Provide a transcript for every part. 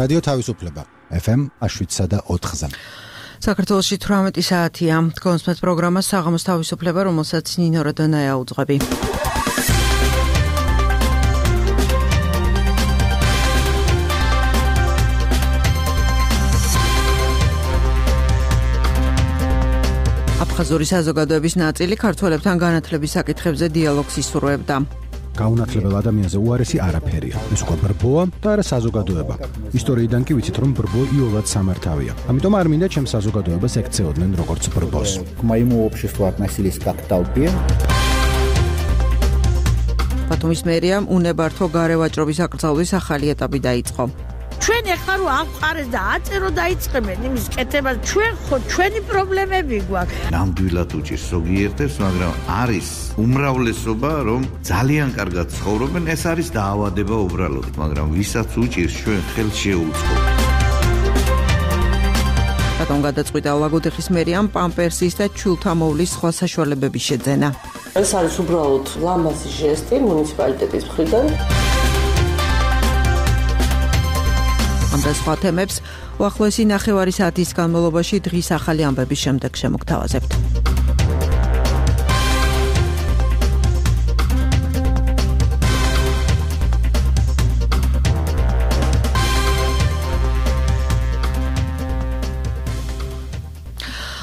რადიო თავისუფლება FM 7.4-ზე. საქართველოში 18 საათია. კონსპეტ პროგრამა საღამოს თავისუფლება, რომელსაც ნინო როდონაია უძღვები. აფხაზური საზოგადოების ნაწილი ქართველებთან განათლების საკითხებზე დიალოგს ისურვებდა. გაუნათლებელ ადამიანზე უარესი არაფერია. ეს უკვე ბრბოა და არა საზოგადოება. ისტორიიდან კი ვიცით, რომ ბრბო იოლად სამართავია. ამიტომ არ მინდა ჩემს საზოგადოებას ექცეოდნენ როგორც ბრბოს. К моему обществу относились как к толпе. ბათუმის მერიამ უნებართო გარევაჭრობის აკრძალვის ახალი ეტაპი დაიწყო. ჩვენ ახლა რო აღყარეს და აწერო დაიწყებენ იმის კეთებას, ჩვენ ხო ჩვენი პრობლემები გვაქვს. ნამდვილად უჭირს ზოგიერთებს, მაგრამ არის უმრავლესობა, რომ ძალიან კარგად ცხოვრობენ, ეს არის დაავადება უბრალოდ, მაგრამ ვისაც უჭირს, ჩვენ ხელს შეუწყობ. ბატონ გადაწყვიტა ლაგოდეხის მერიამ პამპერსის და ჩულთამოვლის სხვა საშუალებების შეძენა. ეს არის უბრალოდ ლამაზი ჟესტი მუნიციპალიტეტის მხრიდან. ამ და სხვა თემებს უახლოესი ნახევარი საათის განმავლობაში დღის ახალი ამბების შემდეგ შემოგთავაზებთ.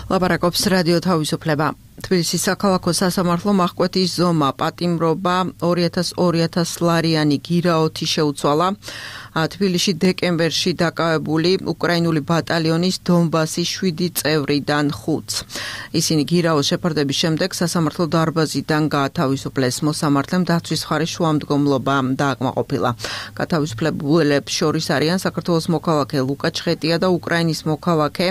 ლაპარაკობს რადიო თავისუფლება. თბილისის საქალაქო სასამართლომ აღკვეთის ზომა, პატიმრობა 200 ლარიანი გირაოთი შეუცვალა თბილისში დეკემბერში დაკავებული უკრაინული ბატალიონის დონბასის 7 წევრიდან 5-ს. ისინი გირაოს შეფარდების შემდეგ სასამართლო დარბაზიდან გაათავისუფლეს. მოსამართლემ დაცვის მხარის შუამდგომლობა დააკმაყოფილა. გათავისუფლებულებს შორის არიან საქართველოს მოქალაქე ლუკა ჩხეტია და უკრაინის მოქალაქე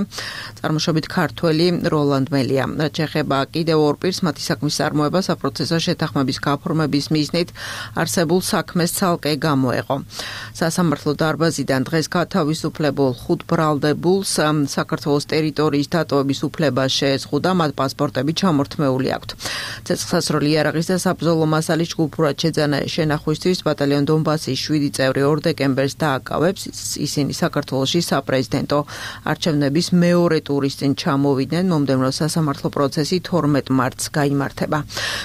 წარმოშობით ქართველი როლანდ მელია. რაც შეეხება კიდევ ორ პირს, მათი საქმის წარმოება საპროცესო შეთანხმების გაფორმების მიზნით არსებულ საქმეს ცალკე გამოეყო. სასამართლო დარბაზიდან დღეს გათავისუფლებულ 5 ბრალდებულს საქართველოს ტერიტორიის დატოვების უფლება შეეზღუდა, მათ პასპორტები ჩამორთმეული აქვთ. ცეცხლსასროლი იარაღის და საბრძოლო მასალის ჯგუფურად შეძანა შენახვისთვის ბატალიონ დონბასის 7 წევრი 2 დეკემბერს დააკავებს. ისინი საქართველოში საპრეზიდენტო არჩევნების მეორე ტურის წინ ჩამოვიდნენ. მომდევნო სასამართლო პროცესი 12 მარტს გაიმართება.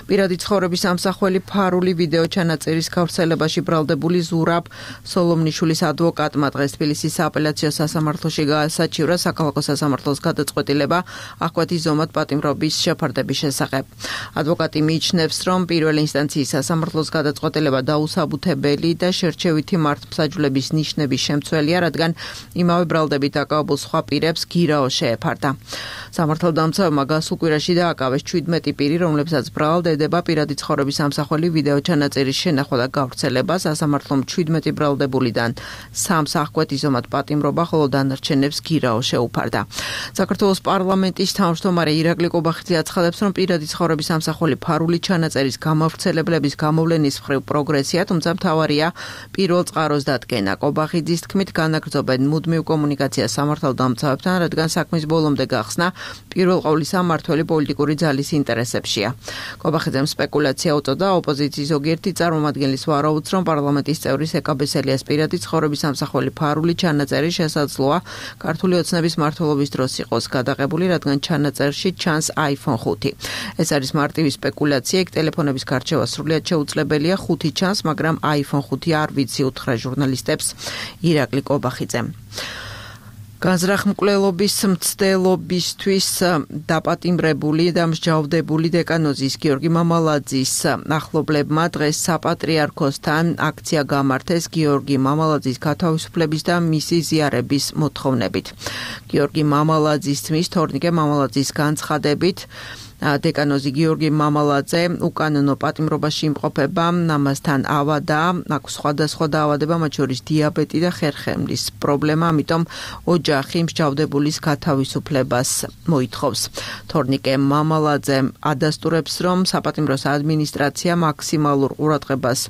პირადი ცხოვრების ამსახველი ფარული ვიდეო ჩანაწერის გავრცელებაში ბრალდებული ზურაბ სოლომნიშვილის ადვოკატმა დღეს თბილისის სააპელაციო სასამართლოში გაასაჩივრა საქალაქო სასამართლოს გადაწყვეტილება აღკვეთის ზომად პატიმრობის შეფარდების შესახებ. ადვოკატი მიიჩნევს, რომ პირველი ინსტანციის სასამართლოს გადაწყვეტილება დაუსაბუთებელი და შერჩევითი მართლმსაჯულების ნიშნების შემცველია, რადგან იმავე ბრალდებით დაკავებულ სხვა პირებს გირაო შეეფარდა. სამართალდამცავმა გასულ კვირაში დააკავეს 17 პირი, რომლებსაც ბრალად ედება პირადი ცხოვრების ამსახველი ვიდეო ჩანაწერის შენახვა და გავრცელება. სასამართლომ 17 ბრალდებულიდან 3-ს აღკვეთის ზომად პატიმრობა, ხოლო დანარჩენებს გირაო შეუფარდა. საქართველოს პარლამენტის თავმჯდომარე ირაკლი კობახიძე აცხადებს, რომ პირადი ცხოვრების ამსახველი ფარული ჩანაწერის გამავრცელებლების გამოვლენის მხრივ პროგრესია, თუმცა მთავარია პირველ წყაროს დადგენა. კობახიძის თქმით, განაგრძობენ მუდმივ კომუნიკაციას სამართალდამცავებთან, რადგან საქმის ბოლომდე გახსნა პირველ ყოვლისა მმართველი პოლიტიკური ძალის ინტერესებშია. კობახიძემ სპეკულაცია უწოდა, ოპოზიციის ზოგიერთი წარმომადგენლის ვარაუდს, რომ პარლამენტის წევრის ეკაბესელიას პირადი ცხოვრების ამსახველი ფარული ჩანაწერი შესაძლოა ქართული ოცნების მმართველობის დროს იყოს გადაღებული, რადგან ჩანაწერში ჩანს iPhone 5. ეს არის მარტივი სპეკულაცია, იქ ტელეფონების გარჩევა სრულიად შეუძლებელია, 5 ჩანს, მაგრამ iPhone 5 არ ვიცი, უთხრა ჟურნალისტებს ირაკლი კობახიძემ. განზრახმკვლელობის მცდელობისთვის დაპატიმრებული და მსჯავრდებული დეკანოზის გიორგი მამალაძის ახლობლებმა დღეს საპატრიარქოსთან აქცია გამართეს გიორგი მამალაძის გათავისუფლების და მისი ზიარების მოთხოვნებით. გიორგი მამალაძის თმის თორნიკე მამალაძის განცხადებით დეკანოზი გიორგი მამალაძე უკანონო პატიმრობაში იმყოფება, ამასთან ავადა, აქვს სხვადასხვა დაავადება, მათ შორის დიაბეტი და ხერხემლის პრობლემა, ამიტომ ოჯახი მსჯავრდებულის გათავისუფლებას მოითხოვს. თორნიკე მამალაძე ადასტურებს, რომ საპატიმროს ადმინისტრაცია მაქსიმალურ ყურადღებას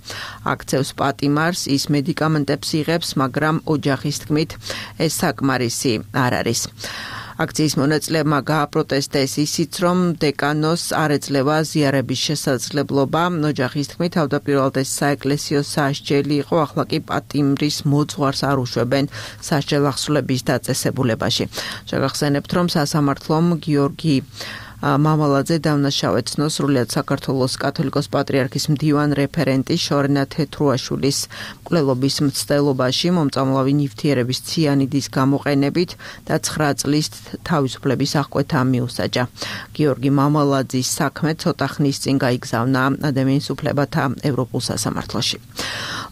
აქცევს პატიმარს, ის მედიკამენტებს იღებს, მაგრამ ოჯახის თქმით ეს საკმარისი არ არის. აქციის მონაწილეებმა გააპროტესტეს ისიც, რომ დეკანოს არ ეძლევა ზიარების შესაძლებლობა. ოჯახის თქმით, თავდაპირველად ეს საეკლესიო სასჯელი იყო, ახლა კი პატიმრის მოძღვარს არ უშვებენ სასჯელ ახსნების დაწესებულებაში. შეგახსენებთ, რომ სასამართლომ გიორგი მამალაძე დავნაშავეცნო სრულიად საქართველოს კათოლიკოს პატრიარქის მდივან რეფერენტი შორენა თეთრუაშვილის მკვლელობის მცდელობაში მომწამლავი ნივთიერების ციანიდის გამოყენებით და 9 წლის თავისუფლების აღკვეთა მიუსაჯა. გიორგი მამალაძის საქმე ცოტა ხნის წინ გაიგზავნა ადამიანის უფლებათა ევროპულ სასამართლოში.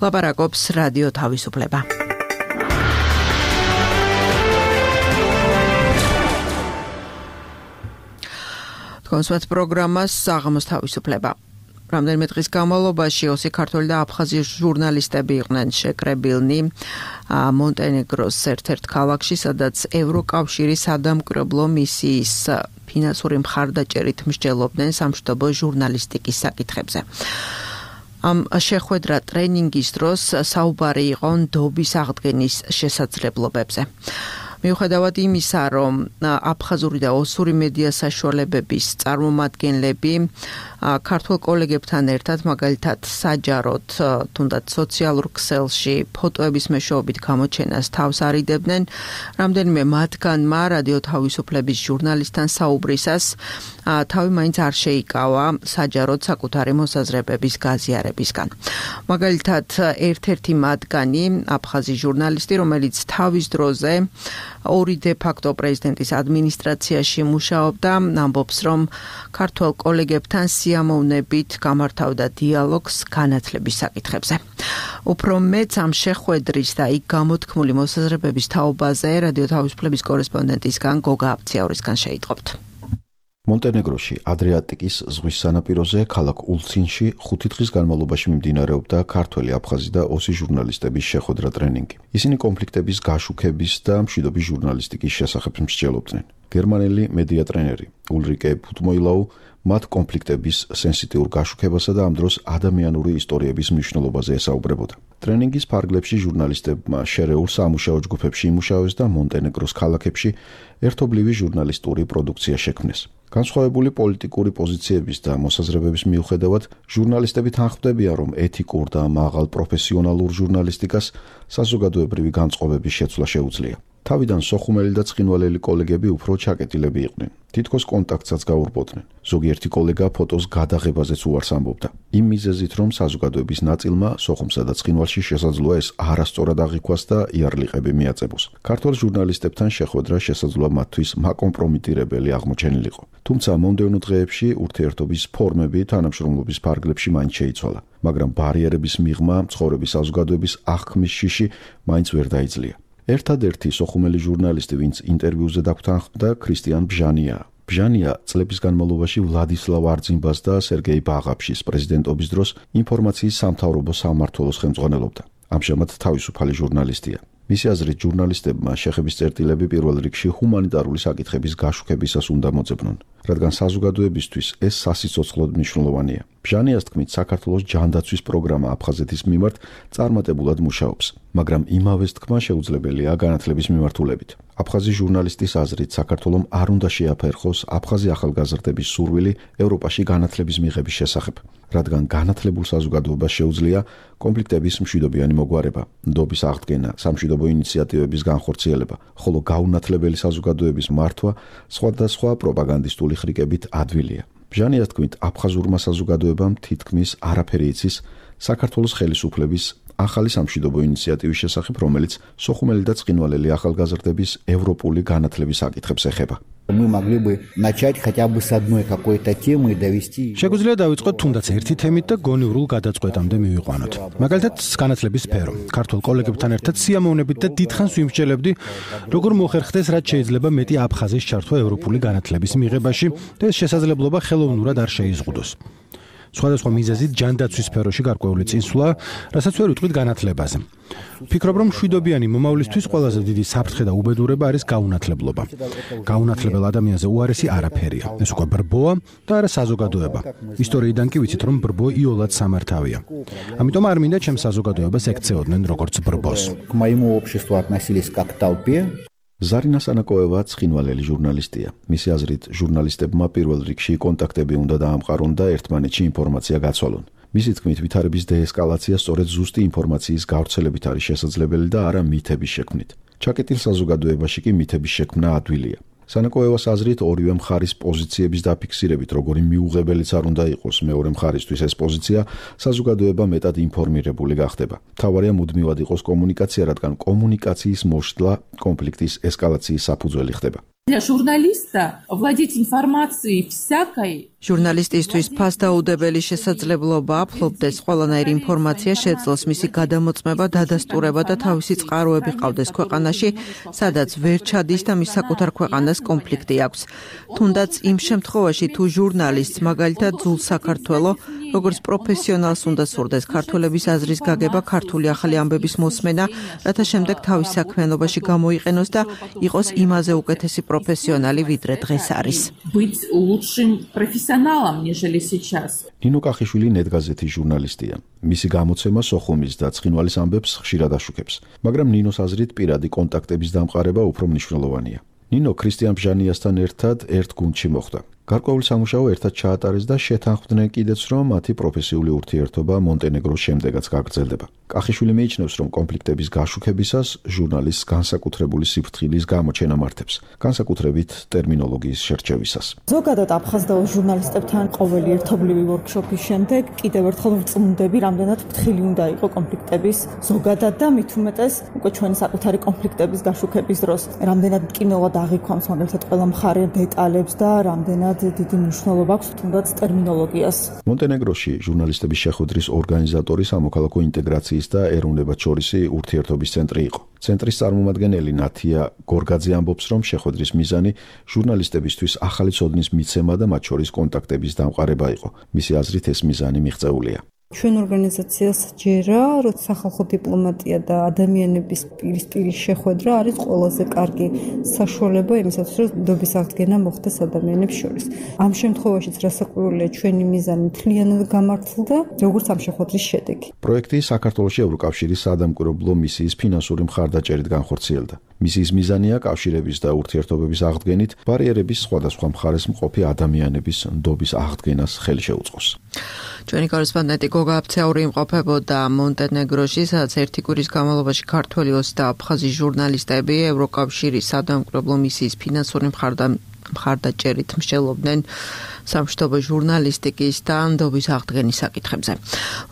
ლაპარაკობს რადიო თავისუფლება. კონსვათ პროგრამას საღამოს თავისუფლება. რამდენიმე დღის განმავლობაში 20 ქართველი და აფხაზი ჟურნალისტები იყვნენ შეკრებილნი მონტენეგროს ერთ-ერთ ქალაქში, სადაც ევროკავშირის სადამკვირვებლო მისიის ფინანსური მხარდაჭერით მსჯელობდნენ სამშვიდობო ჟურნალისტიკის საკითხებზე. ამ შეხვედრა ტრენინგის დროს საუბარი იყო ნდობის აღდგენის შესაძლებლობებზე. მიუხედავად იმისა, რომ აფხაზური და ოსური მედია საშუალებების წარმომადგენლები ქართულ კოლეგებთან ერთად მაგალითად საჯაროდ თუნდაც სოციალურ ქსელში ფოტოების მეშვეობით გამოჩენას თავს არიდებდნენ, რამდენიმე მათგანმა რადიო თავისუფლების ჟურნალისტთან საუბრისას თავი მაინც არ შეიკავა საჯაროდ საკუთარი მოსაზრებების გაზიარებისგან. მაგალითად, ერთ-ერთი მათგანი, აფხაზი ჟურნალისტი, რომელიც თავის დროზე ორი დე-ფაქტო პრეზიდენტის ადმინისტრაციაში მუშაობდა, ამბობს, რომ ქართველ კოლეგებთან სიამოვნებით გამართავდა დიალოგს განათლების საკითხებზე. უფრო მეც ამ შეხვედრის და იქ გამოთქმული მოსაზრებების თაობაზე რადიო თავისუფლების კორესპონდენტისგან გოგა აბციაურისგან შეიტყობთ. მონტენეგროში ადრიატიკის ზღვის სანაპიროზე ქალაქ ულცინში 5 დღის განმავლობაში მიმდინარეობდა ქართველი, აფხაზი და ოსი ჟურნალისტების შეხვედრა ტრენინგი. ისინი კონფლიქტების გაშუქების და მშვიდობის ჟურნალისტიკის შესახებ მსჯელობდნენ. გერმანელი მედია ტრენერი ულრიკე ფუტმოილაუ მათ კონფლიქტების სენსიტიურ გაშუქებასა და ამ დროს ადამიანური ისტორიების მნიშვნელობაზე ესაუბრებოდა. ტრენინგის ფარგლებში ჟურნალისტებმა შერეულ სამუშაო ჯგუფებში იმუშავეს და მონტენეგროს ქალაქებში ერთობლივი ჟურნალისტური პროდუქცია შექმნეს. განსხვავებული პოლიტიკური პოზიციების და მოსაზრებების მიუხედავად, ჟურნალისტები თანხმდებიან, რომ ეთიკურ და მაღალ პროფესიონალურ ჟურნალისტიკას საზოგადოებრივი განწყობების შეცვლა შეუძლია. თავიდან სოხუმელი და ცხინვალელი კოლეგები უფრო ჩაკეტილები იყვნენ. თითქოს კონტაქტსაც გაურბოდნენ. ზოგიერთი კოლეგა ფოტოს გადაღებაზეც უარს ამბობდა. იმ მიზეზით, რომ საზოგადოების ნაწილმა სოხუმსა და ცხინვალში შესაძლოა ეს არასწორად აღიქვას და იარლიყები მიაწებოს. ქართველ ჟურნალისტებთან შეხვედრა შესაძლოა მათთვის მაკომპრომიტირებელი აღმოჩენილიყო. თუმცა მომდევნო დღეებში ურთიერთობის ფორმები თანამშრომლობის ფარგლებში მაინც შეიცვალა, მაგრამ ბარიერების მიღმა ცხოვრების საზოგადოების აღქმის შიში მაინც ვერ დაიძლია. ერთადერთი სოხუმელი ჟურნალისტი, ვინც ინტერვიუზე დაგვთანხმდა, ქრისტიან ბჟანია. ბჟანია წლების განმავლობაში ვლადისლავ არძიმბას და სერგეი ბაღაფშის პრეზიდენტობის დროს ინფორმაციის სამთავრობო სამმართველოს ხელმძღვანელობდა. ამჟამად თავისუფალი ჟურნალისტია. მისი აზრით, ჟურნალისტებმა შეხების წერტილები პირველ რიგში ჰუმანიტარული საკითხების გაშუქებისას უნდა მოძებნონ, რადგან საზოგადოებისთვის ეს სასიცოცხლოდ მნიშვნელოვანია. ბჟანიას თქმით, საქართველოს ჯანდაცვის პროგრამა აფხაზეთის მიმართ წარმატებულად მუშაობს, მაგრამ იმავეს თქმა შეუძლებელია განათლების მიმართულებით. აფხაზი ჟურნალისტის აზრით, საქართველომ არ უნდა შეაფერხოს აფხაზი ახალგაზრდების სურვილი ევროპაში განათლების მიღების შესახებ, რადგან განათლებულ საზოგადოებას შეუძლია კონფლიქტების მშვიდობიანი მოგვარება, ნდობის აღდგენა, სამშვიდობო ინიციატივების განხორციელება, ხოლო გაუნათლებელი საზოგადოების მართვა სხვადასხვა პროპაგანდისტული ხრიკებით ადვილია. ბჟანიას თქმით, აფხაზურმა საზოგადოებამ თითქმის არაფერი იცის საქართველოს ხელისუფლების ახალი სამშვიდობო ინიციატივის შესახებ, რომელიც სოხუმელი და ცხინვალელი ახალგაზრდების ევროპული განათლების საკითხებს ეხება. Мы могли бы начать хотя бы с одной какой-то темы и довести. შეგვიძლია დავიწყოთ თუნდაც ერთი თემით და გონივრულ გადაწყვეტამდე მივიყვანოთ. მაგალითად, განათლების სფერო. ქართულ კოლეგებთან ერთად სიამოვნებით და დიდხანს ვიმსჯელებდი, როგორ მოხერხდეს, რაც შეიძლება მეტი აფხაზის ჩართვა ევროპული განათლების მიღებაში და ეს შესაძლებლობა ხელოვნურად არ შეიზღუდოს. სხვადასხვა მიზეზით ჯანდაცვის სფეროში გარკვეული წინსვლა, რასაც ვერ ვიტყვით განათლებაზე. ვფიქრობ, რომ მშვიდობიანი მომავლისთვის ყველაზე დიდი საფრთხე და უბედურება არის გაუნათლებლობა. გაუნათლებელ ადამიანზე უარესი არაფერია. ეს უკვე ბრბოა და არა საზოგადოება. ისტორიიდან კი ვიცით, რომ ბრბო იოლად სამართავია. ამიტომ არ მინდა ჩემს საზოგადოებას ექცეოდნენ როგორც ბრბოს. К моему обществу относились как к толпе. ზარინა სანაკოევა ცხინვალელი ჟურნალისტია. მისი აზრით, ჟურნალისტებმა პირველ რიგში კონტაქტები უნდა დაამყარონ და ერთმანეთში ინფორმაცია გაცვალონ. მისი თქმით, ვითარების დეესკალაცია სწორედ ზუსტი ინფორმაციის გავრცელებით არის შესაძლებელი და არა მითების შექმნით. ჩაკეტილ საზოგადოებაში კი მითების შექმნა ადვილია. სანაკოევას აზრით, ორივე მხარის პოზიციების დაფიქსირებით, როგორი მიუღებელიც არ უნდა იყოს მეორე მხარისთვის ეს პოზიცია, საზოგადოება მეტად ინფორმირებული გახდება. მთავარია მუდმივად იყოს კომუნიკაცია, რადგან კომუნიკაციის მოშლა კონფლიქტის ესკალაციის საფუძველი ხდება. Для журналиста владеть информацией всякой ჟურნალისტისთვის ფასდაუდებელი შესაძლებლობა აფლობდეს ყველანაირი ინფორმაცია შეძლოს მისი გადამოწმება, დადასტურება და თავისი წყაროები ყავდეს ქვეყანაში, სადაც ვერ ჩადის და მის საკუთარ ქვეყანას კონფლიქტი აქვს. თუნდაც იმ შემთხვევაში, თუ ჟურნალისტს მაგალითად ძულ საქართველო, როგორც პროფესიონალს უნდა სურდეს ქართველების აზრის გაგება, ქართული ახალი ამბების მოსმენა, რათა შემდეგ თავის საქმიანობაში გამოიყენოს და იყოს იმაზე უკეთესი პროფესიონალი, ვიდრე დღეს არის. быть лучшим профессионалом, нежели сейчас. ნინო კახიშვილი ნეტგაზეთის ჟურნალისტია. მისი გამოცემა სოხუმის და ცხინვალის ამბებს ხშირად აშუქებს, მაგრამ ნინოს აზრით პირადი კონტაქტების დამყარება უფრო მნიშვნელოვანია. ნინო ქრისტიან ბჟანიასთან ერთად ერთ გუნდში მოხვდა. გარკვეული სამუშაო ერთად ჩაატარეს და შეთანხმდნენ კიდეც, რომ მათი პროფესიული ურთიერთობა მონტენეგროს შემდეგაც გაგრძელდება. კახიშვილი მიიჩნევს, რომ კონფლიქტების გაშუქებისას ჟურნალისტს განსაკუთრებული სიფრთხილის გამოჩენა მართებს, განსაკუთრებით ტერმინოლოგიის შერჩევისას. ზოგადად აფხაზდაო ჟურნალისტებთან ყოველი ერთობლივი ვორქშოპის შემდეგ კიდევ ერთხელ ვწმუნდები, რამდენად ფრთხილი უნდა იყო კონფლიქტების ზოგადად და მით უმეტეს უკვე ჩვენი საკუთარი კონფლიქტების გაშუქების დროს, რამდენად მტკივნეულად აღიქვამს მაგალითად ყველა მხარე დეტალებს და რამდენად დიდი მნიშვნელობა აქვს თუნდაც ტერმინოლოგიას. მონტენეგროში ჟურნალისტების შეხვედრის ორგანიზატორი სამოქალაქო ინტეგრაციის და ეროვნებათშორისი ურთიერთობის ცენტრი იყო. ცენტრის წარმომადგენელი ნათია გორგაძე ამბობს, რომ შეხვედრის მიზანი ჟურნალისტებისთვის ახალი ცოდნის მიცემა და მათ შორის კონტაქტების დამყარება იყო. მისი აზრით ეს მიზანი მიღწეულია. ჩვენ ორგანიზაციას ჯერა, რომ სახალხო დიპლომატია და ადამიანების პირისპირის შეხვედრა არის ყველაზე კარგი საშუალება იმისათვის, რომ ნდობის აღდგენა მოხდეს ადამიანებს შორის. ამ შემთხვევაშიც რასაკვირველია, ჩვენი მიზანი მთლიანად გამართლდა, როგორც ამ შეხვედრის შედეგი. პროექტი საქართველოში ევროკავშირის საადამკვირვებლო მისიის ფინანსური მხარდაჭერით განხორციელდა. მისიის მიზანია კავშირების და ურთიერთობების აღდგენით ბარიერების სხვადასხვა მხარეს მყოფი ადამიანების ნდობის აღდგენას ხელი შეუწყოს. ჩვენი კორესპონდენტი გოგა აფცეური იმყოფებოდა მონტენეგროში, სადაც ერთი კვირის განმავლობაში ქართველი 20 და აფხაზი ჟურნალისტები ევროკავშირის საადამკვირვებლო მისიის ფინანსური მხარდაჭერით მსჯელობდნენ სამშვიდობო ჟურნალისტიკის და ნდობის აღდგენის საკითხებზე.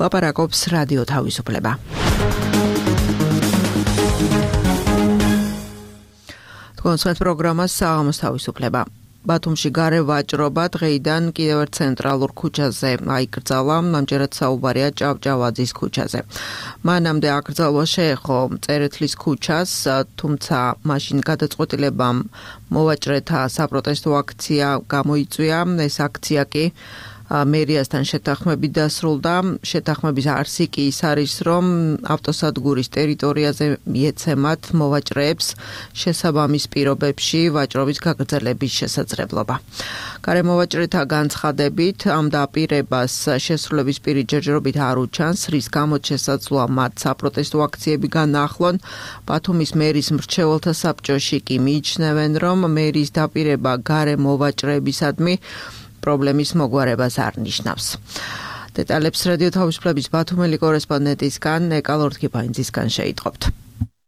ლაპარაკობს რადიო თავისუფლება. კონსერტ პროგრამა საღამოს თავისუფლება. ბათუმში გარე ვაჭრობა დღეიდან კიდევ ერთ ცენტრალურ ქუჩაზე აიკრძალა, ამჯერად საუბარია ჭავჭავაძის ქუჩაზე. მანამდე აკრძალვა შეეხო წერეთლის ქუჩას, თუმცა მაშინ გადაწყვეტილებამ მოვაჭრეთა საპროტესტო აქცია გამოიწვია. ეს აქცია კი მერიასთან შეთანხმებით დასრულდა. შეთანხმების არსი კი ის არის, რომ ავტოსადგურის ტერიტორიაზე მიეცემათ მოვაჭრეებს შესაბამის პირობებში ვაჭრობის გაგრძელების შესაძლებლობა. გარემოვაჭრეთა განცხადებით ამ დაპირებას შესრულების პირი ჯერჯერობით არ უჩანს, რის გამოც შესაძლოა მათ საპროტესტო აქციები განაახლონ. ბათუმის მერის მრჩეველთა საბჭოში კი მიიჩნევენ, რომ მერის დაპირება გარემოვაჭრეებისადმი პრობლემის მოგვარებას არ ნიშნავს. დეტალებს რადიო თავისუფლების ბათუმელი კორესპონდენტისგან ნეკა ლორთქიფაინძისგან შეიტყობთ.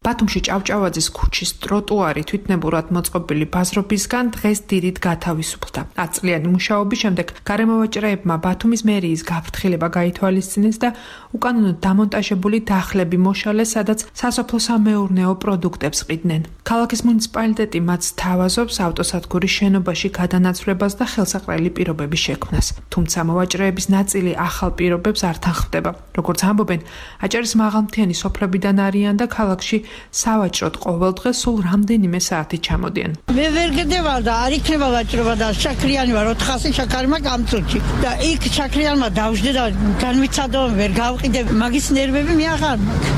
ბათუმში ჭავჭავაძის ქუჩის ტროტუარი თვითნებურად მოწყობილი ბაზრობისგან დღეს დიდით გათავისუფლდა. 10 წლიანი მუშაობის შემდეგ გარემოვაჭრეებმა ბათუმის მერიის გაფრთხილება გაითვალისწინეს და უკანონოდ დამონტაჟებული დახლები მოშალეს, სადაც სასოფლო-სამეურნეო პროდუქტებს ყიდნენ. ქალაქის მუნიციპალიტეტი მათ სთავაზობს ავტოსადგურის შენობაში გადანაცვლებას და ხელსაყრელი პირობების შექმნას. თუმცა მოვაჭრეების ნაწილი ახალ პირობებს არ თანხმდება. როგორც ამბობენ, აჭარის მაღალმთიანი სოფლებიდან არიან და ქალაქში სავაჭროდ ყოველდღე სულ რამდენიმე საათი ჩამოდიან. მე ვერ გედებარ და არ იქნება ვაჭრობა და შაქრიანი ვარ 400 შაქარი მაქვს ამ წუთში და იქ შაქრიანმა დავждე და განვიცადო ვერ გავყიდე მაგის ნერვები მე აღარ მაქვს.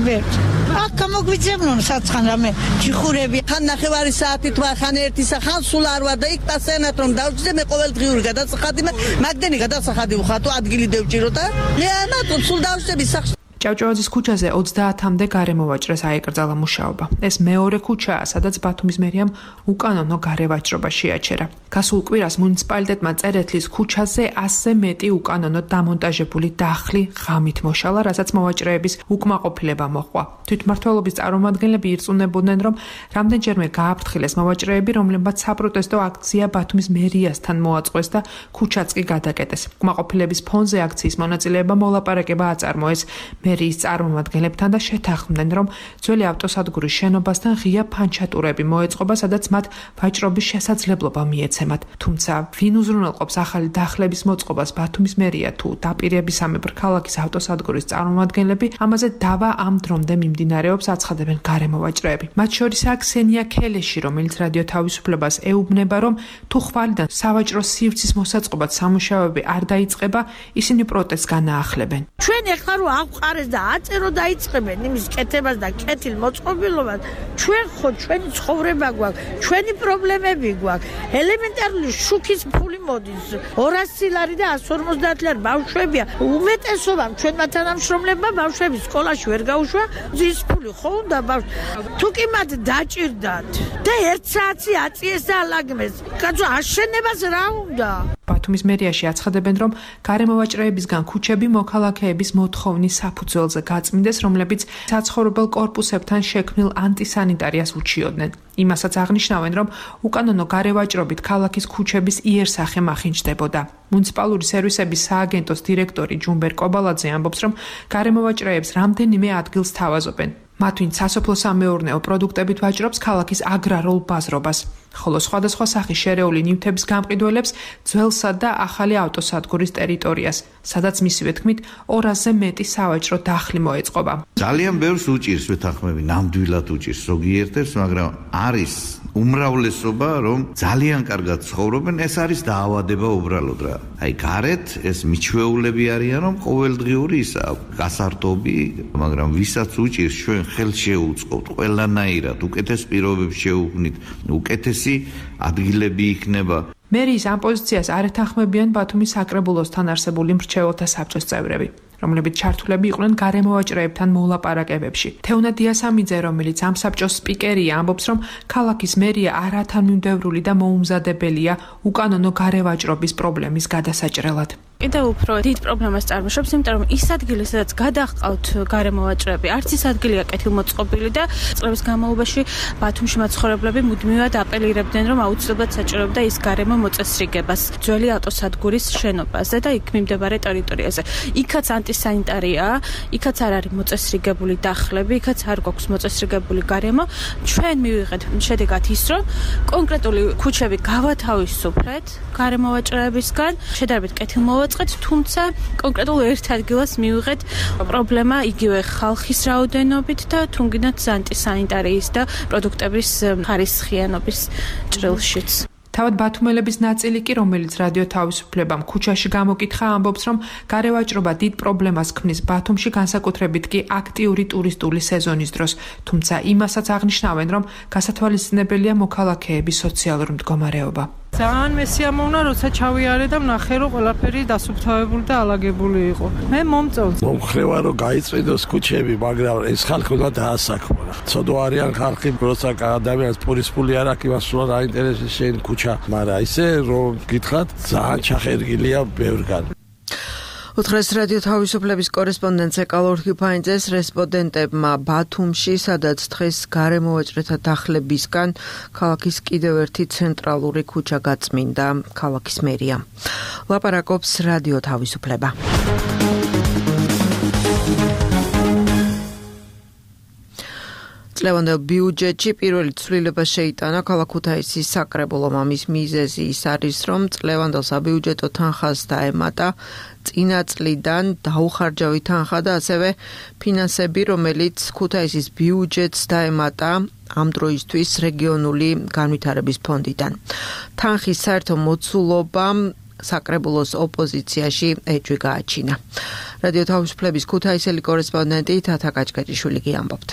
ვერ აქ გამოგვიძებნონ საცხან რამე ჩიხურები ხან ნახევარი საათი თუ ხან ერთი ხან სულ არ ვარ და იქ პასენათ რომ დავждე მე ყოველდღიური გადასახადი მაგდენი გადასახადი ვხატო ადგილი დევჭირო და მე ანატო სულ დავждები სახში. ჭავჭავაძის ქუჩაზე 30-მდე გარემოვაჭრეს აეკრძალა მუშაობა. ეს მეორე ქუჩაა, სადაც ბათუმის მერიამ უკანონო გარევაჭრობა შეაჩერა. გასულ კვირას მუნიციპალიტეტმა წერეთლის ქუჩაზე 100-ზე მეტი უკანონო დამონტაჟებული დახლი ღამით მოშალა, რასაც მოვაჭრეების უკმაყოფილება მოჰყვა. თვითმმართველობის წარმომადგენლები ირწმუნებოდნენ, რომ რამდენჯერმე გააფრთხილეს მოვაჭრეები, რომლებმაც საპროტესტო აქცია ბათუმის მერიასთან მოაწყვეს და ქუჩაც კი გადაკეტეს. უკმაყოფილების ფონზე აქციის მონაწილეება მოლაპარაკება აწარმოეს მერიის წარმომადგენლებთან და შეთანხმდნენ, რომ ძველი ავტოსადგურის შენობასთან ღია ფანჩატურები მოეწყობა, სადაც მათ ვაჭრობის შესაძლებლობა მიეცემათ. თუმცა ვინ უზრუნველყოფს ახალი დახლების მოწყობას, ბათუმის მერია თუ დაპირებისამებრ ქალაქის ავტოსადგურის წარმომადგენლები, ამაზე დავა ამ დრომდე მიმდინარეობს, აცხადებენ გარემოვაჭრეები. მათ შორისაა ქსენია ქელეში, რომელიც რადიო თავისუფლებას ეუბნება, რომ თუ ხვალიდან სავაჭრო სივრცის მოსაწყობად სამუშაოები არ დაიწყება, ისინი პროტესტს განაახლებენ. ჩვენ ეხლა რო აღყარეს და აწერო დაიწყებენ იმის კეთებას და კეთილ მოწყობილობას, ჩვენ ხო ჩვენი ცხოვრება გვაქვს, ჩვენი პრობლემები გვაქვს. ელემენტარული შუქის ფული მოდის. 200 ლარი და 150 ლარი ბავშვებია. უმეტესობამ ჩვენმა თანამშრომლებმა ბავშვების სკოლაში ვერ გაუშვა. ზის ფული ხო უნდა ბავშვ. თუ კი მათ დაჭირდათ და 1 საათი აწიეს და ალაგმეს. კაცო აშენებას რა უნდა? ბათუმის მერიაში აცხადებენ, რომ გარემოვაჭრეებისგან ქუჩები მოქალაქეების მოთხოვნის საფუძველზე გაწმინდეს, რომლებიც საცხოვრებელ კორპუსებთან შექმნილ ანტისანიტარიას უჩიოდნენ. იმასაც აღნიშნავენ, რომ უკანონო გარევაჭრობით ქალაქის ქუჩების იერსახე მახინჯდებოდა. მუნიციპალური სერვისების სააგენტოს დირექტორი ჯუმბერ კობალაძე ამბობს, რომ გარემოვაჭრეებს რამდენიმე ადგილს თავაზობენ. მათ ვინც სასოფლო-სამეურნეო პროდუქტებით ვაჭრობს ქალაქის აგრარულ ბაზრობას, ხოლო სხვადასხვა სახის შერეული ნივთების გამყიდველებს ძველსა და ახალი ავტოსადგურის ტერიტორიას, სადაც მისივე თქმით 200-ზე მეტი სავაჭრო დახლი მოეწყობა. ძალიან ბევრს უჭირს ვეთანხმები, ნამდვილად უჭირს ზოგიერთებს, მაგრამ არის უმრავლესობა, რომ ძალიან კარგად ცხოვრობენ, ეს არის დაავადება უბრალოდ რა. აი გარეთ ეს მიჩვეულები არიან, რომ ყოველდღიური ისა გასართობი, მაგრამ ვისაც უჭირს ჩვენ ხელს შეუწყობთ ყველანაირად, უკეთეს პირობებს შევუქმნით, უკეთესი ადგილები იქნება. მერიის ამ პოზიციას არ ეთანხმებიან ბათუმის საკრებულოსთან არსებული მრჩეველთა საბჭოს წევრები, რომლებიც ჩართულები იყვნენ გარემოვაჭრეებთან მოლაპარაკებებში. თეუნა დიასამიძე, რომელიც ამ საბჭოს სპიკერია, ამბობს, რომ ქალაქის მერია არათანმიმდევრული და მოუმზადებელია უკანონო გარევაჭრობის პრობლემის გადასაჭრელად. კიდევ უფრო დიდ პრობლემას წარმოშობს, იმიტომ რომ ის ადგილი, სადაც გადაჰყავთ გარემოვაჭრეები, არც ის ადგილია კეთილმოწყობილი და წლების განმავლობაში ბათუმში მაცხოვრებლები მუდმივად აპელირებდნენ, რომ აუცილებლად საჭიროებდა ის გარემო მოწესრიგებას ძველი ავტოსადგურის შენობაზე და იქ მიმდებარე ტერიტორიაზე. იქაც ანტისანიტარია, იქაც არ არის მოწესრიგებული დახლები, იქაც არ გვაქვს მოწესრიგებული გარემო. ჩვენ მივიღეთ შედეგად ის, რომ კონკრეტული ქუჩები გავათავისუფლეთ გარემოვაჭრეებისგან, შედარებით კეთილმოწყობილი, თუმცა კონკრეტულ ერთ ადგილას მივიღეთ პრობლემა იგივე ხალხის რაოდენობით და თუნგინაც ანტისანიტარიის და პროდუქტების ხარისხიანობის ჭრილშიც. თავად ბათუმელების ნაწილი კი, რომელიც რადიო თავისუფლებამ ქუჩაში გამოკითხა, ამბობს, რომ გარევაჭრობა დიდ პრობლემას ქმნის ბათუმში, განსაკუთრებით კი აქტიური ტურისტული სეზონის დროს. თუმცა იმასაც აღნიშნავენ, რომ გასათვალისწინებელია მოქალაქეების სოციალური მდგომარეობა. ძალიან მესიამოვნა, როცა ჩავიარე და ვნახე, რომ ყველაფერი დასუფთავებული და ალაგებული იყო. მე მომწონს. მომხრევა რომ გაიწვიდოს ქუჩები, მაგრამ ეს ხალხი უნდა დაასაქმო. ცოდო არიან ხალხი, როცა ადამიანს პურის ფული არ აქვს, იმას სულ არ აინტერესებს შენ ქუჩა, მაგრამ ისე რომ გითხრათ, ძალიან ჩახერგილია ბევრგან. უთხრეს რადიო თავისუფლების კორესპონდენტ ეკალორ ჰიფაინძეს რესპონდენტებმა ბათუმში, სადაც დღეს გარემოვაჭრეთა დახლებისგან ქალაქის კიდევ ერთი ცენტრალური ქუჩა გაწმინდა, ქალაქის მერია. ლაპარაკობს რადიო თავისუფლება. წლევანდელ ბიუჯეტში პირველი ცვლილება შეიტანა ქალაქ ქუთაისის საკრებულომ. ამის მიზეზი ის არის, რომ წლევანდელ საბიუჯეტო თანხას დაემატა წინა წლიდან დაუხარჯავი თანხა და ასევე ფინანსები, რომელიც ქუთაისის ბიუჯეტს დაემატა ამ დროისთვის რეგიონული განვითარების ფონდიდან. თანხის საერთო მოცულობა საკრებულოს ოპოზიციაში ეჭვი გააჩინა. რადიო თავისუფლების ქუთაისელი კორესპონდენტი თათა კაჭკაჭიშვილი ამბობთ.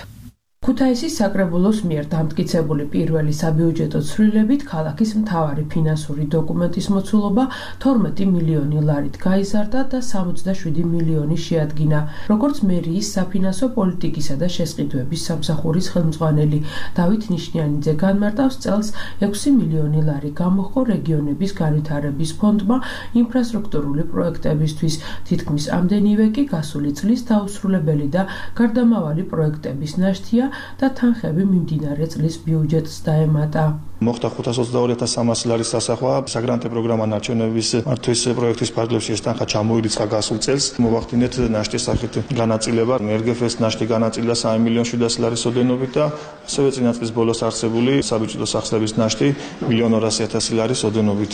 ქუთაისის საკრებულოს მიერ დამტკიცებული პირველი საბიუჯეტო ცვლილებით ქალაქის მთავარი ფინანსური დოკუმენტის მოცულობა 12 მილიონი ლარით გაიზარდა და 67 მილიონი შეადგინა. როგორც მერიის საფინანსო პოლიტიკისა და შესყიდვების სამსახურის ხელმძღვანელი დავით ნიშნიანიძე განმარტავს, წელს 6 მილიონი ლარი გამოჰყო რეგიონების განვითარების ფონდმა ინფრასტრუქტურული პროექტებისთვის, თითქმის ამდენივე კი გასული წლის დაუსრულებელი და გარდამავალი პროექტების ნაშთია და თანხები მიმდინარე წლის ბიუჯეტს დაემატა. მოხდა 522.300 ლარის დასახვა საგრანტო პროგრამა ნარჩენების მართვის პროექტის ფარგლებში ეს თანხა ჩამოირიცხა გასულ წელს. მოვახდინეთ ნაშთის სახით განაწილება. RGF-ს ნაშთი განაწილდა 3.700.000 ლარის ოდენობით და ასევე წინა წლის ბოლოს არსებული საბიუჯეტო სახსრების ნაშთი 1.200.000 ლარის ოდენობით.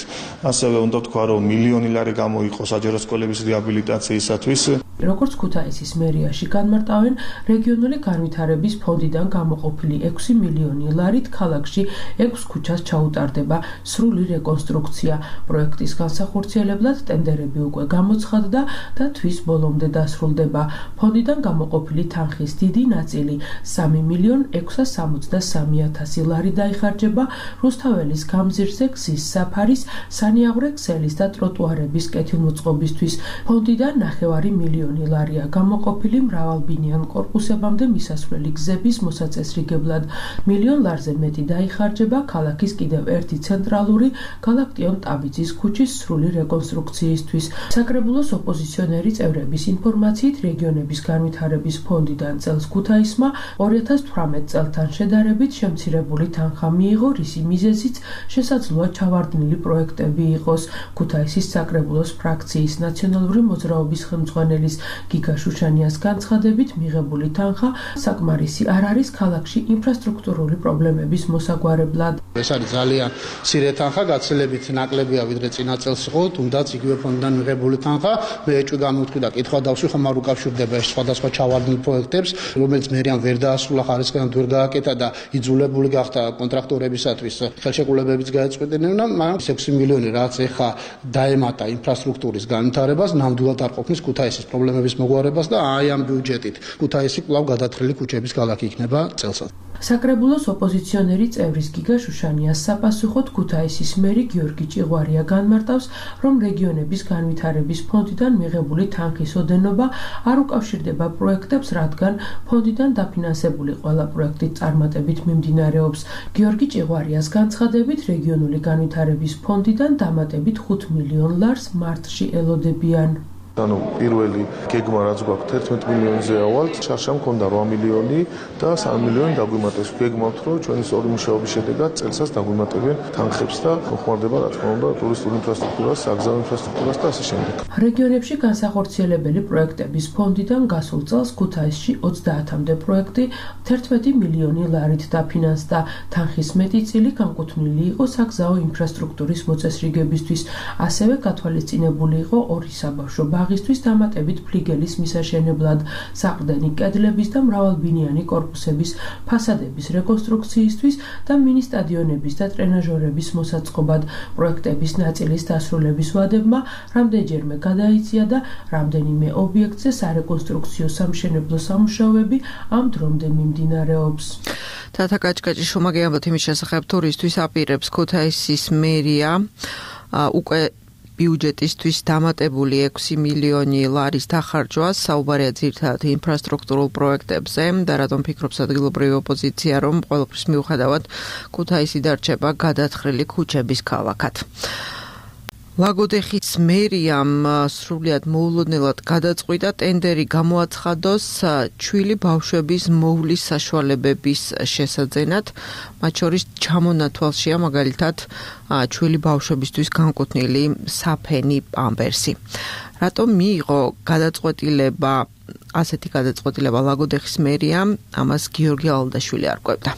ასევე უნდა ვთქვა, რომ მილიონი ლარი გამოიყო საჯარო სკოლების რეაბილიტაციისათვის. როგორც ქუთაისის მერიაში განმარტავენ, რეგიონული განვითარების ფონდიდან გამოყოფილი 6 მილიონი ლარით ქალაქში 6 ქუჩას ჩაუტარდება სრული რეკონსტრუქცია. პროექტის განსახორციელებლად ტენდერები უკვე გამოცხადდა და თვის ბოლომდე დასრულდება. ფონდიდან გამოყოფილი თანხის დიდი ნაწილი 3.663.000 ლარი დაიხარჯება რუსთაველის გამზირზე გზის საფარის, სანიაღვრე ქსელის და ტროტუარების კეთილმოწყობისთვის. ფონდიდან 9 მილიონი ლარია გამოყოფილი მრავალბინიან კორპუსებამდე მისასვლელი გზების მოსაწესრიგებლად. მილიონ ლარზე მეტი დაიხარჯება ქალაქის კიდევ ერთი ცენტრალური გალაქტიონ ტაბიძის ქუჩის სრული რეკონსტრუქციისთვის. საკრებულოს ოპოზიციონერი წევრების ინფორმაციით, რეგიონების განვითარების ფონდიდან წელს ქუთაისმა 2018 წელთან შედარებით შემცირებული თანხა მიიღო, რისი მიზეზიც შესაძლოა ჩავარდნილი პროექტები იყოს. ქუთაისის საკრებულოს ფრაქციის ნაციონალური მოძრაობის ხელმძღვანელის გიგა შუშანიას განცხადებით, მიღებული თანხა საკმარისი არ არის ქალაქში ინფრასტრუქტურული პრობლემების მოსაგვარებლად. ეს არის ძალიან მცირე თანხა, გაცილებით ნაკლებია ვიდრე წინა წელს იყო, თუნდაც იგივე ფონდიდან მიღებული თანხა. მე ეჭვი გამოვთქვი და კითხვა დავსვი, ხომ არ უკავშირდება ეს სხვადასხვა ჩავარდნილ პროექტებს, რომელიც მერიან ვერ დაასრულა, ხარისხიდან ვერ გააკეთა და იძულებული გახდა კონტრაქტორებისათვის ხელშეკრულებებიც გაეწყვეტინა, მაგრამ 6 მილიონი რაც ეხა დაემატა ინფრასტრუქტურის განვითარებას, ნამდვილად არ ყოფნის ქუთაისის პრობლემების მოგვარებას და აი ამ ბიუჯეტით ქუთაისი კვლავ გადათხრილი ქუჩების ქალაქი იქნება წელსაც. საკრებულოს ოპოზიციონერი წევრის გიგა შუშანიას საპასუხოდ ქუთაისის მერი გიორგი ჭიღვარია განმარტავს, რომ რეგიონების განვითარების ფონდიდან მიღებული თანხის ოდენობა არ უკავშირდება პროექტებს, რადგან ფონდიდან დაფინანსებული ყველა პროექტი წარმატებით მიმდინარეობს. გიორგი ჭიღვარიას განცხადებით, რეგიონული განვითარების ფონდიდან დამატებით 5 მილიონ ლარს მარტში ელოდებიან. ანუ პირველი გეგმა რაც გვაქვს 11 მილიონზე ავალთ, შარშა მქონდა 8 მილიონი და 3 მილიონი დაგვიმატეს. გეგმავთ, რომ ჩვენი სწორი მუშაობის შედეგად წელსაც დაგვიმატებენ თანხებს და მოხმარდება რა თქმა უნდა ტურისტული ინფრასტრუქტურას, საგზაო ინფრასტრუქტურას და ასე შემდეგ. რეგიონებში განსახორციელებელი პროექტების ფონდიდან გასულ წელს ქუთაისში 30-მდე პროექტი 11 მილიონი ლარით დაფინანსდა. თანხის მეტი წილი განკუთვნილი იყო საგზაო ინფრასტრუქტურის მოწესრიგებისთვის. ასევე გათვალისწინებული იყო ორი საბავშვო ბაღისთვის დამატებით ფლიგელის მისაშენებლად, საყრდენი კედლების და მრავალბინიანი კორპუსების ფასადების რეკონსტრუქციისთვის და მინი სტადიონების და ტრენაჟორების მოსაწყობად. პროექტების ნაწილის დასრულების ვადებმა რამდენჯერმე გადაიწია და რამდენიმე ობიექტზე სარეკონსტრუქციო სამშენებლო სამუშაოები ამ დრომდე მიმდინარეობს. თათა კაჭკაჭი შუმაგე ამბობთ იმის შესახებ, თურისთვის აპირებს ქუთაისის მერია უკვე ბიუჯეტისთვის დამატებული 6 მილიონი ლარის დახარჯვას, საუბარია ძირითადად ინფრასტრუქტურულ პროექტებზე და რატომ ფიქრობს ადგილობრივი ოპოზიცია, რომ ყველაფრის მიუხედავად ქუთაისი დარჩება გადათხრილი ქუჩების ქალაქად. ლაგოდეხის მერიამ სრულიად მოულოდნელად გადაწყვიტა ტენდერი გამოაცხადოს ჩვილი ბავშვების მოვლის საშუალებების შესაძენად, მათ შორის ჩამონათვალშია მაგალითად ჩვილი ბავშვებისთვის განკუთვნილი საფენი პამპერსი. რატომ მიიღო ასეთი გადაწყვეტილება ლაგოდეხის მერიამ, ამას გიორგი ალდაშვილი არკვევდა.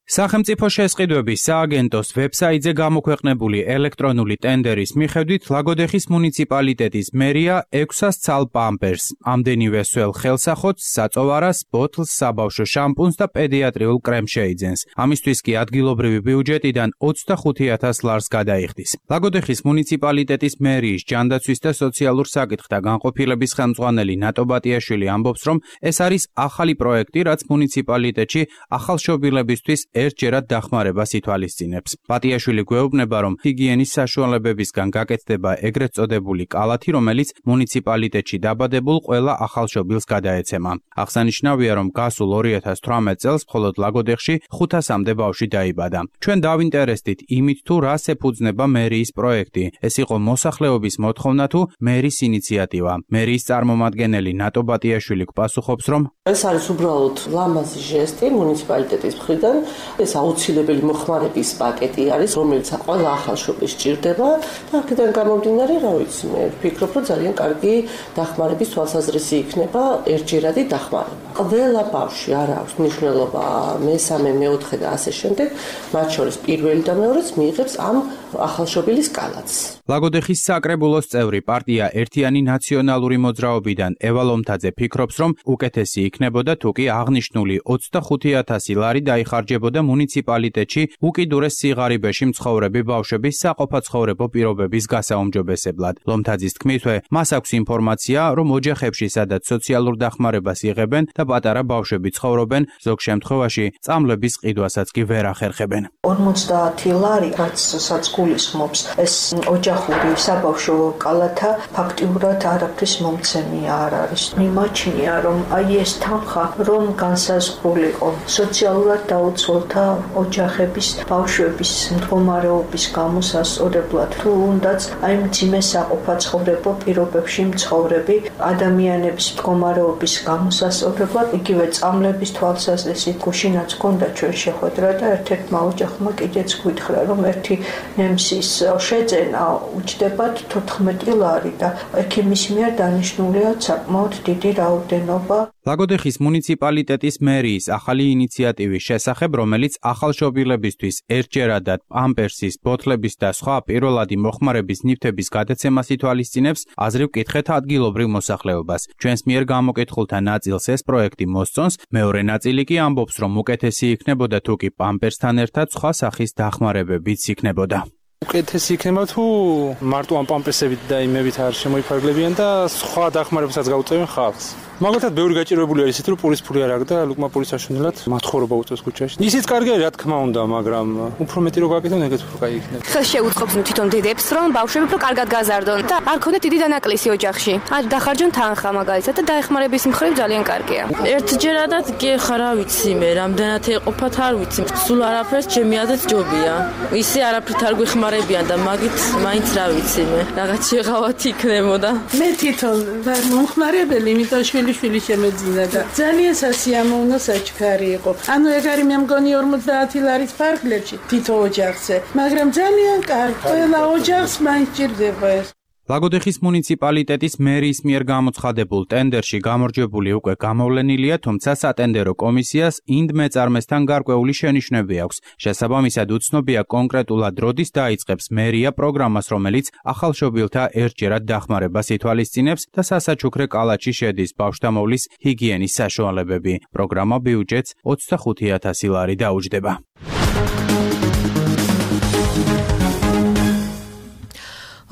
სახელმწიფო შესყიდვების სააგენტოს ვებსაიტზე გამოქვეყნებული ელექტრონული ტენდერის მიხედვით ლაგოდეხის მუნიციპალიტეტის მერია 600 ცალ პამპერს, ამდენივე სველ ხელსახოთს, საწოვარას, ბოთლს, საბავშვო შამპუნს და პედიატრიულ კრემს შეიძენს. ამისთვის კი ადგილობრივი ბიუჯეტიდან 25,000 ლარს გადაიხდის. ლაგოდეხის მუნიციპალიტეტის მერიის ჯანდაცვის და სოციალურ საკითხთა განყოფილების ხელმძღვანელი ნატო ბატიაშვილი ამბობს, რომ ეს არის ახალი პროექტი, რაც მუნიციპალიტეტში ახალშობილებისთვის ერთჯერად დახმარებას ითვალისწინებს. ბატიაშვილი გვეუბნება, რომ ჰიგიენის საშუალებებისგან გაკეთდება ეგრეთ წოდებული კალათი, რომელიც მუნიციპალიტეტში დაბადებულ ყველა ახალშობილს გადაეცემა. აღსანიშნავია, რომ გასულ 2018 წელს მხოლოდ ლაგოდეხში 500-მდე ბავშვი დაიბადა. ჩვენ დავინტერესდით იმით, თუ რას ეფუძნება მერიის პროექტი. ეს იყო მოსახლეობის მოთხოვნა თუ მერის ინიციატივა. მერიის წარმომადგენელი ნატო ბატიაშვილი გპასუხობს, რომ ეს არის უბრალოდ ლამაზი ჟესტი მუნიციპალიტეტის მხრიდან. ეს აუცილებელი მოხმარების პაკეტი არის, რომელიც ყველა ახალშობილს სჭირდება და აქედან გამომდინარე, რა ვიცი, მე ვფიქრობ, რომ ძალიან კარგი დახმარების თვალსაზრისი იქნება ერთჯერადი დახმარება. ყველა ბავშვი არ აქვს მნიშვნელობა მესამე, მეოთხე და ასე შემდეგ, მათ შორის პირველი და მეორეც მიიღებს ამ ახალშობილის კალათს. ლაგოდეხის საკრებულოს წევრი პარტია ერთიანი ნაციონალური მოძრაობიდან ევა ლომთაძე ფიქრობს, რომ უკეთესი იქნებოდა თუ კი აღნიშნული 25,000 ლარი დაიხარჯებოდა მუნიციპალიტეტში უკიდურეს სიღარიბეში მცხოვრები ბავშვების საყოფაცხოვრებო პირობების გასაუმჯობესებლად. ლომთაძის თქმითვე, მას აქვს ინფორმაცია, რომ ოჯახებში, სადაც სოციალურ დახმარებას იღებენ და პატარა ბავშვები ცხოვრობენ, ზოგ შემთხვევაში წამლების ყიდვასაც კი ვერ ახერხებენ. 50 ლარი, რაც გულისხმობს ეს ოჯახური საბავშვო კალათა, ფაქტიურად არაფრის მომცემი არ არის. მიმაჩნია, რომ აი ეს თანხა რომ განსაზღვრულიყო სოციალურად დაუცველთა ოჯახების ბავშვების მდგომარეობის გამოსასწორებლად, თუ უნდაც აი მძიმე საყოფაცხოვრებო პირობებში მცხოვრები ადამიანების მდგომარეობის გამოსასწორებლად, იგივე წამლების თვალსაზრისით გუშინაც გონდა ჩვენ შეხვედრა და ერთ-ერთმა ოჯახმა კიდეც გითხრა, რომ ერთი ნემსის შეძენა უჯდებათ 14 ლარი და ექიმის მიერ დანიშნულია საკმაოდ დიდი რაოდენობა. ლაგოდეხის მუნიციპალიტეტის მერიის ახალი ინიციატივის შესახებ, რომელიც ახალშობილებისთვის ერთჯერადად პამპერსის, ბოთლების და სხვა პირველადი მოხმარების ნივთების გადაცემას ითვალისწინებს, აზრი ვკითხეთ ადგილობრივ მოსახლეობას. ჩვენს მიერ გამოკითხულთა ნაწილს ეს პროექტი მოსწონს, მეორე ნაწილი კი ამბობს, რომ უკეთესი იქნებოდა თუ კი პამპერსთან ერთად სხვა სახის დახმარებებიც იქნებოდა. უკეთესი იქნება თუ მარტო ამ პამპერსებით და იმებით არ შემოიფარგლებიან და სხვა დახმარებასაც გაუწევენ ხალხს. მაგალითად, ბევრი გაჭირვებული არის ისეთ, რომ პულის ფული არ აქვს და ლუკმა პულის საშინელად მათხოვრობა უწევს ქუჩაში. ისიც კარგია, რა თქმა უნდა, მაგრამ უფრო მეტი რო გაკეთონ, ეგეც უფრო კაი იქნება. ხელს შეუწყობს თვითონ დედებს, რომ ბავშვები უფრო კარგად გაზარდონ და არ ქონდეთ დიდი დანაკლისი ოჯახში. არ დახარჯონ თანხა მაგალითად და დაეხმარების მხრივ ძალიან კარგია. ერთჯერადად კი ხარ, რა ვიცი მე, რამდენად ეყოფათ არ ვიცი. სულ არაფერს ჩემი აზრით ჯობია. ისე არაფრით არ გვეხმარებიან და მაგით მაინც რა ვიცი მე, რაღაც შეღავათ იქნებოდა. მე თვითონ ვარ მომხმარებელი, იმიტომ შვილი შემეძინა და ძალიან სასიამოვნო საჩქარი იყო. ანუ ეგ არის მე მგონი 50 ლარის ფარგლებში თითო ოჯახზე, მაგრამ ძალიან კარგი, ყველა ოჯახს მაინც ჭირდება ეს. ლაგოდეხის მუნიციპალიტეტის მერიის მიერ გამოცხადებულ ტენდერში გამარჯვებული უკვე გამოვლენილია, თუმცა სატენდერო კომისიას ინდ მეწარმესთან გარკვეული შენიშვნები აქვს. შესაბამისად უცნობია კონკრეტულად როდის დაიწყებს მერია პროგრამას, რომელიც ახალშობილთა ერთჯერად დახმარებას ითვალისწინებს და სასაჩუქრე კალათში შედის ბავშვთამოვლის ჰიგიენის საშუალებები. პროგრამა ბიუჯეტს 25,000 ლარი დაუჯდება.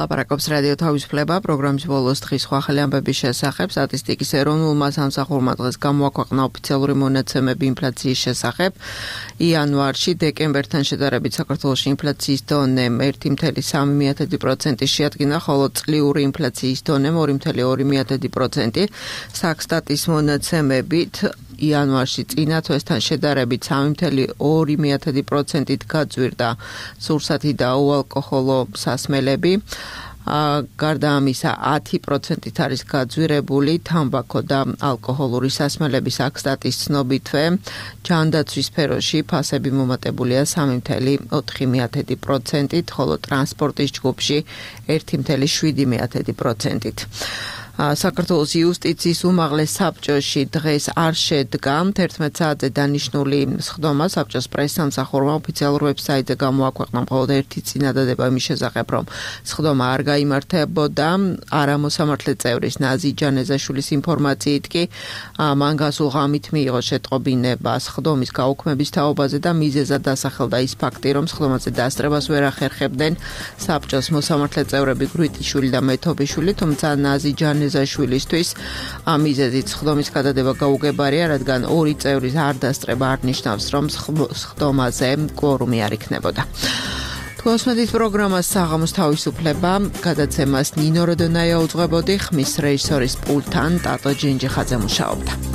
ლაპარაკობს რადიო თავისუფლება პროგრამის ბოლოს დღის სხვა ახალი ამბების შესახებ. სტატისტიკის ეროვნულმა სამსახურმა დღეს გამოაქვეყნა ოფიციალური მონაცემები ინფლაციის შესახებ. იანვარში დეკემბერთან შედარებით საქართველოში ინფლაციის დონე 1,3% შეადგინა, ხოლო წლიური ინფლაციის დონე 2,2%. საქსტატის მონაცემებით იანვარში წინა თვესთან შედარებით 3,2%-ით გაძვირდა სურსათი და უალკოჰოლო სასმელები. გარდა ამისა 10%-ით არის გაძვირებული თამბაქო და ალკოჰოლური სასმელების საქსტატის ცნობითვე. ჯანდაცვის სფეროში ფასები მომატებულია 3,4%-ით, ხოლო ტრანსპორტის ჯგუფში 1,7%-ით. საქართველოს იუსტიციის უმაღლეს საბჭოში დღეს არ შედგა 11 საათზე დანიშნული სხდომა საბჭოს პრესსამსახურმა ოფიციალურ ვებსაიტზე გამოაქვეყნა მხოლოდ ერთი წინადადება იმის შესახებ, რომ სხდომა არ გაიმართებოდა არამოსამართლე წევრის ნაზი ჯანეზაშვილის ინფორმაციით კი მან გასულ ღამით მიიღო შეტყობინება სხდომის გაუქმების თაობაზე და მიზეზად დასახელდა ის ფაქტი, რომ სხდომაზე დასწრებას ვერ ახერხებდნენ საბჭოს მოსამართლე წევრები გრუიტიშვილი და მეთობიშვილი, თუმცა ნაზი ჯანეზაშვილისთვის ამ მიზეზით სხდომის გადადება გაუგებარია, რადგან ორი წევრის არ დასწრება არ ნიშნავს, რომ სხდომაზე კვორუმი არ იქნებოდა. Twosmedit პროგრამას საღამოს თავისუფლება გადაცემას ნინო როდონაია უძღვებოდი, ხმის რეჟისორის პულტთან ტატო ჯინჯიხაძე მუშაობდა.